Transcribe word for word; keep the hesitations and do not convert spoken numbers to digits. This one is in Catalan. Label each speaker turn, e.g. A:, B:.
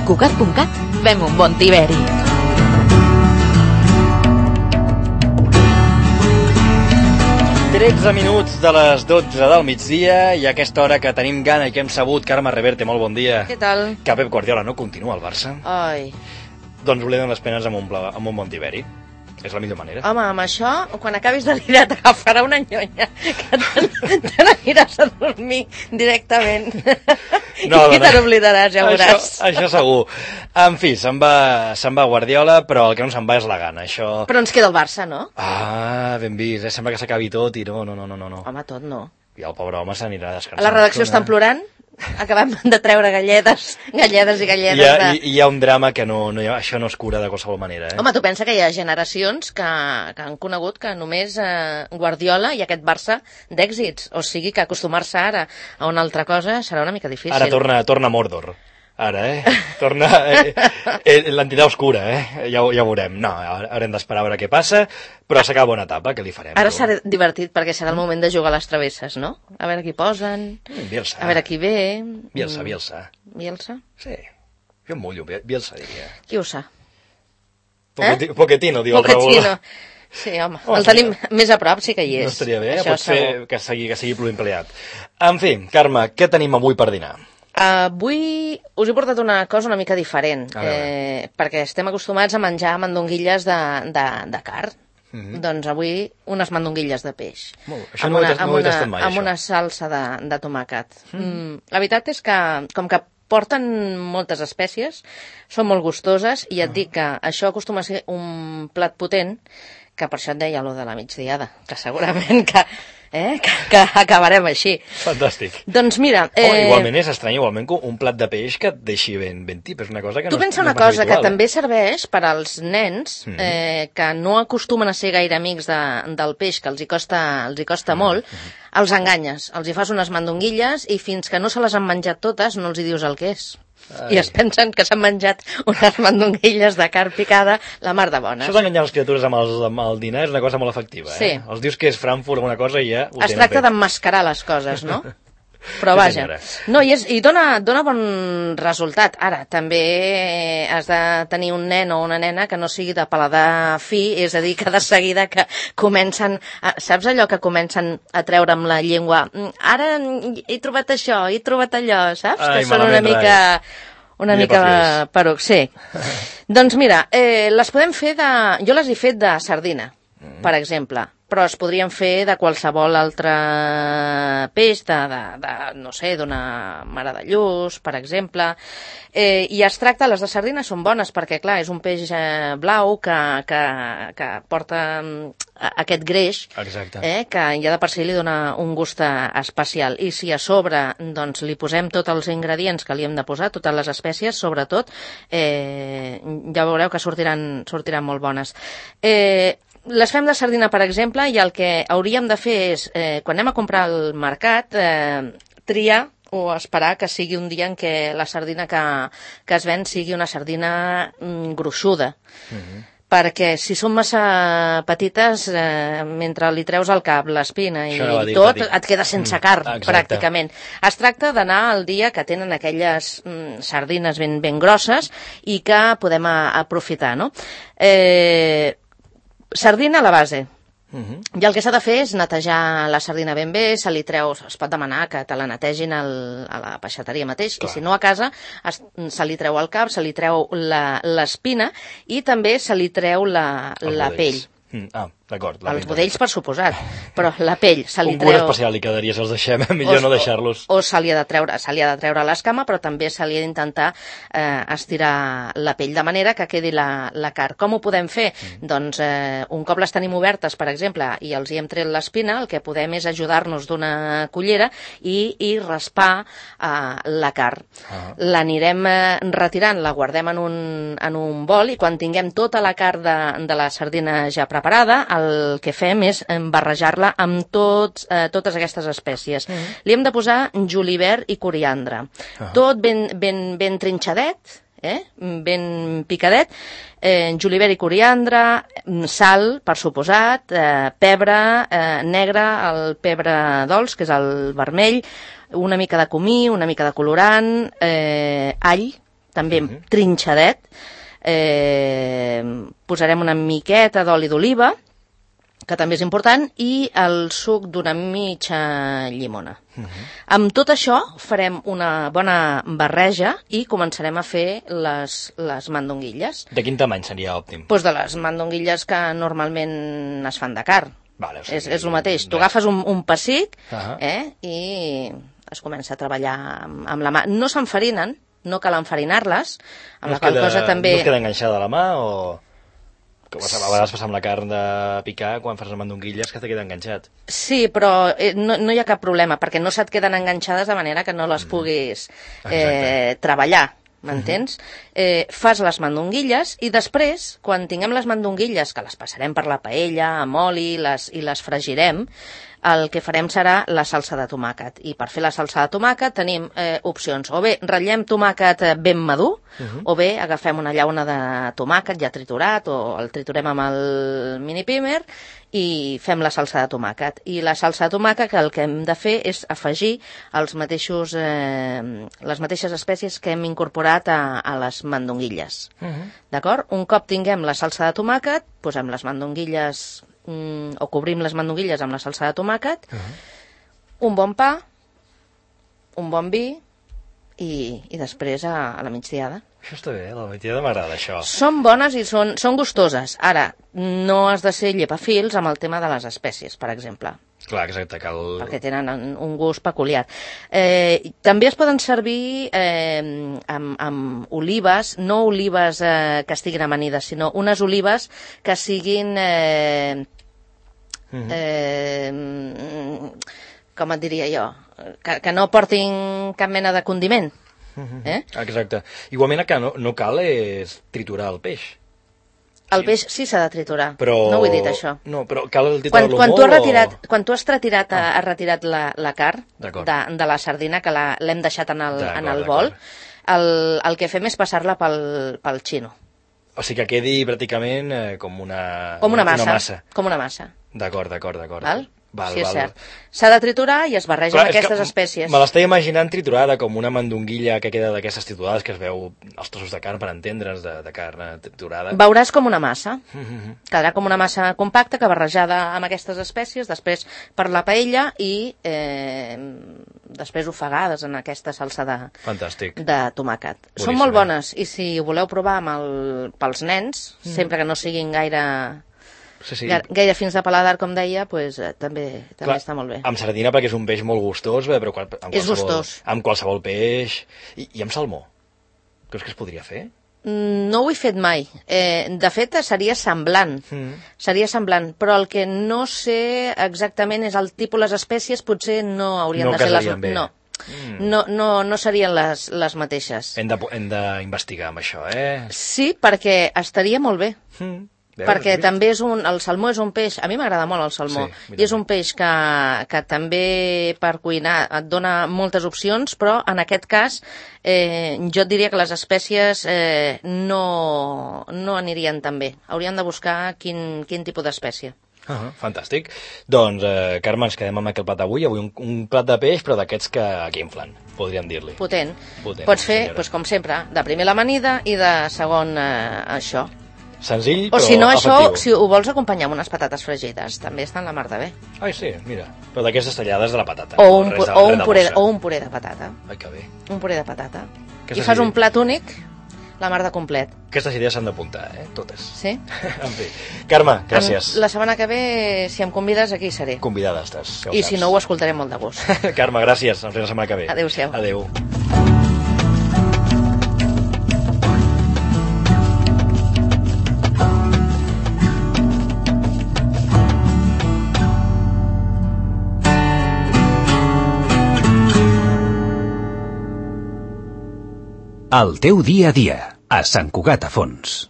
A: Cugat punt cat, fem un bon tiberi.
B: tretze minuts de les dotze del migdia i a aquesta hora que tenim gana i que hem sabut, Carme Reverte, molt bon dia.
C: Què tal?
B: Que Pep Guardiola no continua al Barça.
C: Ai.
B: Doncs oblidem les penes amb un, pla, amb un bon tiberi. És la millor manera.
C: Home, amb això, quan acabis de dinar t'agafarà una nyonya que te, te n'aniràs a dormir directament. No, i te n'oblidaràs, ja veuràs.
B: Això, això segur. En fi, se'n va, se'n va Guardiola, però el que no se'n va és la gana. Això...
C: Però ens queda el Barça, no?
B: Ah, ben vist, eh? Sembla que s'acabi tot i no, no, no, no, no.
C: Home, tot no.
B: I el pobre home s'anirà descansant.
C: A la redacció estan plorant? Acabem de treure galledes, galledes i galledes.
B: Hi ha,
C: de...
B: hi, hi ha un drama que no, no hi ha, això no es cura de qualsevol manera. Eh?
C: Home, tu pensa que hi ha generacions que, que han conegut que només eh, Guardiola i aquest Barça d'èxits. O sigui que acostumar-se ara a una altra cosa serà una mica difícil.
B: Ara torna, torna Mordor. Ara, eh? Torna eh, eh, l'entitat oscura, eh? Ja, ja ho veurem. No, haurem d'esperar a veure què passa, però s'acaba bona etapa, què li farem?
C: Ara serà divertit perquè serà el moment de jugar a les travesses, no? A veure qui posen,
B: Bielsa.
C: A veure qui ve...
B: Bielsa, Bielsa.
C: Bielsa?
B: Sí, jo em mullo, Bielsa diria.
C: Qui ho sa?
B: Pochettino, eh? Pochettino diu
C: Pochettino.
B: el Raül.
C: Sí, home, oh, el tenim sí. Més a prop, sí que hi és.
B: No estaria bé,
C: això
B: pot ser que sigui, que sigui pluriempleat. En fi, Carme, què tenim avui per dinar?
C: Uh, avui us he portat una cosa una mica diferent, eh, perquè estem acostumats a menjar mandonguilles de, de, de carn. Mm-hmm. Doncs avui unes mandonguilles de peix.
B: Molt, això amb no, una, no ho he tastat mai,
C: amb
B: això.
C: Una salsa de, de tomàquet. Mm. Mm, la veritat és que, com que porten moltes espècies, són molt gustoses, i et ah. dic que això acostuma a ser un plat potent, que per això et deia allò de la migdiada, que segurament que, eh, que, que acabarem així.
B: Fantàstic.
C: Doncs mira... Eh...
B: Oh, igualment és estrany, igualment un plat de peix que et deixi ben, ben tip, és una cosa que
C: tu
B: no,
C: pensa
B: no
C: una
B: és
C: cosa,
B: habitual.
C: Que també serveix per als nens
B: mm-hmm.
C: eh, que no acostumen a ser gaire amics de, del peix, que els hi costa, els hi costa mm-hmm. molt, els enganyes, els hi fas unes mandonguilles i fins que no se les han menjat totes no els hi dius el que és. Ai. I es pensen que s'han menjat unes mandonguilles de carn picada la mar de bones.
B: Això d'enganyar les criatures amb, els, amb el dinar és una cosa molt efectiva.
C: Sí.
B: Eh? Els dius que és Frankfurt o alguna cosa i ja ho
C: es tracta d'emmascarar les coses, no? Però vaja, no, i, és, i dona, dona bon resultat. Ara, també has de tenir un nen o una nena que no sigui de paladar fi, és a dir, que de seguida que comencen, a, saps allò que comencen a treure amb la llengua? Ara he trobat això, he trobat allò, saps?
B: Ai,
C: que són una mica... Una mica peruc, sí. Doncs mira, eh, les podem fer de... Jo les he fet de sardina, mm. per exemple, però es podrien fer de qualsevol altre peix, de, de, de no sé, d'una mare de lluç, per exemple. Eh, I es tracta, les de sardina són bones perquè, clar, és un peix eh, blau que, que, que porta eh, aquest greix, eh, que ja de per si li dona un gust especial. I si a sobre doncs, li posem tots els ingredients que li hem de posar, totes les espècies, sobretot, eh, ja veureu que sortiran, sortiran molt bones. Eh, Les fem de sardina, per exemple, i el que hauríem de fer és, eh, quan anem a comprar al mercat, eh, triar o esperar que sigui un dia en què la sardina que, que es ven sigui una sardina mm, gruixuda. Mm-hmm. Perquè si són massa petites, eh, mentre li treus al cap l'espina i dir, tot, dir. Et queda sense carn, mm, pràcticament. Es tracta d'anar el dia que tenen aquelles mm, sardines ben, ben grosses i que podem a, aprofitar, no? Eh... Sardina a la base. Uh-huh. I el que s'ha de fer és netejar la sardina ben bé, se li treu, es pot demanar que te la netegin al, a la peixateria mateix, clar. I si no a casa, es, se li treu el cap, se li treu l'espina i també se li treu la, la pell.
B: Mm, ah, d'acord.
C: Els budells, per suposat, però la pell se li
B: un
C: treu...
B: Un cura especial li quedaria si els deixem, millor o, no deixar-los.
C: O, o se li ha de treure, se li ha de treure l'escama, però també se li ha d'intentar eh, estirar la pell, de manera que quedi la, la carn. Com ho podem fer? Mm. Doncs eh, un cop les tenim obertes, per exemple, i els hi hem tret l'espina, el que podem és ajudar-nos d'una cullera i, i raspar eh, la carn. Ah. L'anirem eh, retirant, la guardem en un, en un bol i quan tinguem tota la carn de, de la sardina ja preparada, el que fem és barrejar-la amb tots, eh, totes aquestes espècies. Mm-hmm. Li hem de posar julivert i coriandre. Uh-huh. Tot ben, ben, ben trinxadet, eh? Ben picadet, eh, julivert i coriandre, sal, per suposat, eh, pebre eh, negre, el pebre dolç, que és el vermell, una mica de comí, una mica de colorant, eh, all, també uh-huh. trinxadet. Eh, posarem una miqueta d'oli d'oliva, que també és important, i el suc d'una mitja llimona. Uh-huh. Amb tot això farem una bona barreja i començarem a fer les, les mandonguilles.
B: De quin tamany seria òptim?
C: Doncs de les mandonguilles que normalment es fan de carn.
B: Vale, o sigui,
C: és, és el mateix. Tu agafes un, un pessic
B: uh-huh. eh,
C: i es comença a treballar amb, amb la mà. No s'enfarinen, no cal enfarinar-les, amb
B: no
C: la qual
B: queda,
C: cosa també...
B: No es queda enganxada a la mà o... Que a vegades passa amb la carn de picar, quan fas les mandonguilles, que te queda enganxat.
C: Sí, però no, no hi ha cap problema, perquè no se't queden enganxades de manera que no les puguis eh, treballar, m'entens? Uh-huh. Eh, fas les mandonguilles i després, quan tinguem les mandonguilles, que les passarem per la paella amb oli les, i les fregirem, el que farem serà la salsa de tomàquet. I per fer la salsa de tomàquet tenim eh, opcions. O bé ratllem tomàquet ben madur, uh-huh. o bé agafem una llauna de tomàquet ja triturat, o el triturem amb el mini pimer i fem la salsa de tomàquet. I la salsa de tomàquet que el que hem de fer és afegir els mateixos, eh, les mateixes espècies que hem incorporat a, a les mandonguilles. Uh-huh. D'acord? Un cop tinguem la salsa de tomàquet, posem les mandonguilles o cobrim les mandonguilles amb la salsa de tomàquet, uh-huh. un bon pa, un bon vi i, i després a, a la migdiada.
B: Això està bé, a la migdiada m'agrada això.
C: Són bones i són, són gustoses. Ara, no has de ser llepafils amb el tema de les espècies, per exemple.
B: Clar, exacte, cal...
C: Perquè tenen un gust peculiar. Eh, també es poden servir eh, amb, amb olives, no olives eh, que estiguin amanides, sinó unes olives que siguin... Eh, Uh-huh. eh, com et diria jo, que, que no portin cap mena de condiment.
B: Uh-huh. eh? Exacte. Igualment que no, no cal és triturar el peix.
C: El peix sí s'ha de triturar,
B: però...
C: no ho he dit això.
B: No, però cal triturar-lo
C: quan, quan
B: molt
C: tu has retirat,
B: o...
C: Quan tu has retirat, ah. has retirat la, la carn de, de la sardina, que l'hem deixat en el, en el bol, el, el que fem és passar-la pel, pel xino.
B: O sigui que quedi pràcticament eh, com una...
C: Com una massa.
B: Una massa.
C: Com una massa.
B: D'acord, d'acord, d'acord.
C: Val?
B: Val,
C: sí, és
B: val.
C: cert. S'ha de triturar i es barreja amb aquestes espècies.
B: Me l'estic imaginant triturada com una mandonguilla que queda d'aquestes trituradas que es veu els trossos de carn, per entendre's, de, de carn triturada.
C: Veuràs com una massa. Mm-hmm. Quedarà com una massa compacta que barrejada amb aquestes espècies, després per la paella i eh, després ofegades en aquesta salsa de,
B: Fantàstic.
C: de tomàquet.
B: Boníssim,
C: Són molt
B: eh?
C: bones i si ho voleu provar amb el, pels nens, mm. sempre que no siguin gaire...
B: Sí, sí.
C: Gaire fins de paladar, com deia, pues, eh, també, també
B: Clar,
C: està molt bé.
B: Amb sardina perquè és un peix molt gustós, bé, però qual, amb,
C: és
B: qualsevol,
C: gustós.
B: amb qualsevol peix. I, I amb salmó? Creus que es podria fer?
C: No ho he fet mai. Eh, de fet, seria semblant. Mm. Seria semblant, però el que no sé exactament és el tipus, les espècies potser no haurien
B: no
C: de ser les...
B: Bé.
C: No mm. no, no, no serien les, les mateixes.
B: Hem d'investigar amb això, eh?
C: Sí, perquè estaria molt bé.
B: Mm.
C: Veus, perquè vist? També és un, el salmó és un peix, a mi m'agrada molt el salmó, sí, i és un peix que, que també per cuinar et dona moltes opcions, però en aquest cas eh, jo et diria que les espècies eh, no, no anirien tan bé. Hauríem de buscar quin, quin tipus d'espècie.
B: Uh-huh, fantàstic. Doncs, eh, Carme, ens quedem amb aquest plat avui. Avui un, un plat de peix, però d'aquests que, que inflen, podríem dir-li.
C: Potent.
B: Potent.
C: Pots fer, doncs, com sempre, de primer l'amanida i de segon eh, això.
B: Senzill,
C: o
B: però
C: si no, això,
B: efectiu.
C: Si ho vols acompanyar amb unes patates fregides, també estan la mar de bé.
B: Ai, sí, mira. Però d'aquestes tallades de la patata.
C: O un,
B: no,
C: pu
B: de,
C: o, un puré, o un puré de patata.
B: Ai, que bé.
C: Un puré de patata.
B: Aquestes
C: I fas
B: idees...
C: un plat únic, la mar de complet.
B: Aquestes idees s'han d'apuntar, eh? Totes.
C: Sí?
B: En fi. Carme, gràcies.
C: En la setmana que ve, si em convides, aquí seré.
B: Convidada estàs. Ja
C: I
B: saps.
C: si no, ho escoltaré molt de gust.
B: Carme, gràcies. Ens veiem la setmana que ve.
C: Adéu-siau.
B: Adéu.
D: El teu dia a dia, a Sant Cugat a Fons.